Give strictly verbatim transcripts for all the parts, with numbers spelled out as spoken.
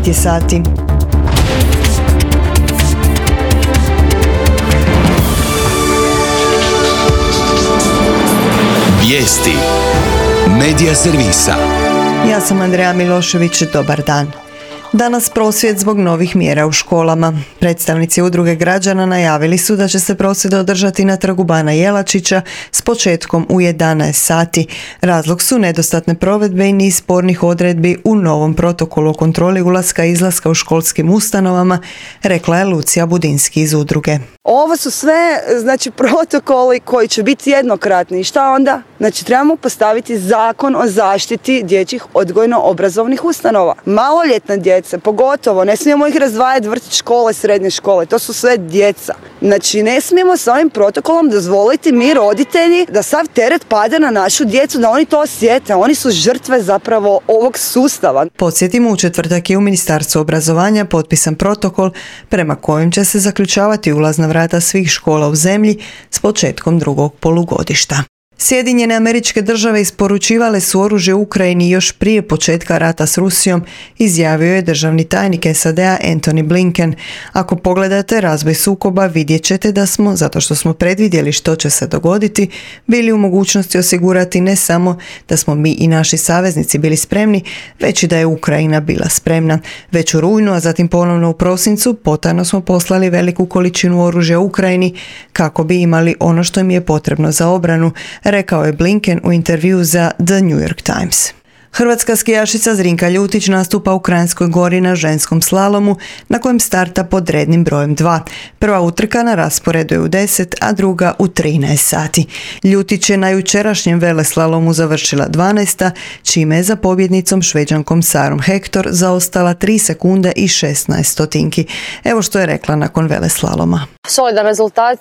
devet je sati. Vijesti Medija servisa. Ja sam Andreja Milošević, dobar dan. Danas prosvjed zbog novih mjera u školama. Predstavnici udruge građana najavili su da će se prosvjed održati na trgu Bana Jelačića s početkom u jedanaest sati. Razlog su nedostatne provedbe i niz spornih odredbi u novom protokolu o kontroli ulaska i izlaska u školskim ustanovama, rekla je Lucija Budinski iz udruge. Ovo su sve, znači, protokoli koji će biti jednokratni. I šta onda? Znači, trebamo postaviti zakon o zaštiti dječjih odgojno-obrazovnih ustanova. Maloljetna djeca, pogotovo, ne smijemo ih razdvajati vrtić, škole, srednje škole. To su sve djeca. Znači, ne smijemo s ovim protokolom dozvoliti mi, roditelji, da sav teret pada na našu djecu, da oni to osjete. Oni su žrtve zapravo ovog sustava. Podsjetimo, u četvrtak je u Ministarstvu obrazovanja potpisan protokol prema kojem će se zaključavati ulazna vrata svih škola u zemlji s početkom drugog polugodišta. Sjedinjene Američke Države isporučivale su oružje Ukrajini još prije početka rata s Rusijom, izjavio je državni tajnik S A D-a Antony Blinken. Ako pogledate razvoj sukoba, vidjet ćete da smo, zato što smo predvidjeli što će se dogoditi, bili u mogućnosti osigurati ne samo da smo mi i naši saveznici bili spremni, već i da je Ukrajina bila spremna. Već u rujnu, a zatim ponovno u prosincu, potajno smo poslali veliku količinu oružja Ukrajini kako bi imali ono što im je potrebno za obranu, rekao je Blinken u intervju za The New York Times. Hrvatska skijašica Zrinka Ljutić nastupa u Kranjskoj Gori na ženskom slalomu, na kojem starta pod rednim brojem dva. Prva utrka na rasporedu je u deset, a druga u trinaest sati. Ljutić je na jučerašnjem veleslalomu završila dvanaesta, čime je za pobjednicom Šveđankom Sarom Hector zaostala tri sekunde i šesnaest stotinki. Evo što je rekla nakon veleslaloma. Solidan rezultat,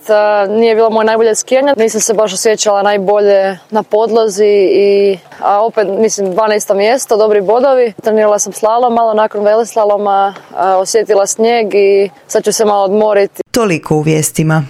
nije bilo moje najbolje skijanje, nisam se baš osjećala najbolje na podlozi, i, a opet mislim dvanaesto mjesto, dobri bodovi. Trenirala sam slalom, malo nakon veleslaloma, osjetila snijeg i sad ću se malo odmoriti. Toliko u vijestima.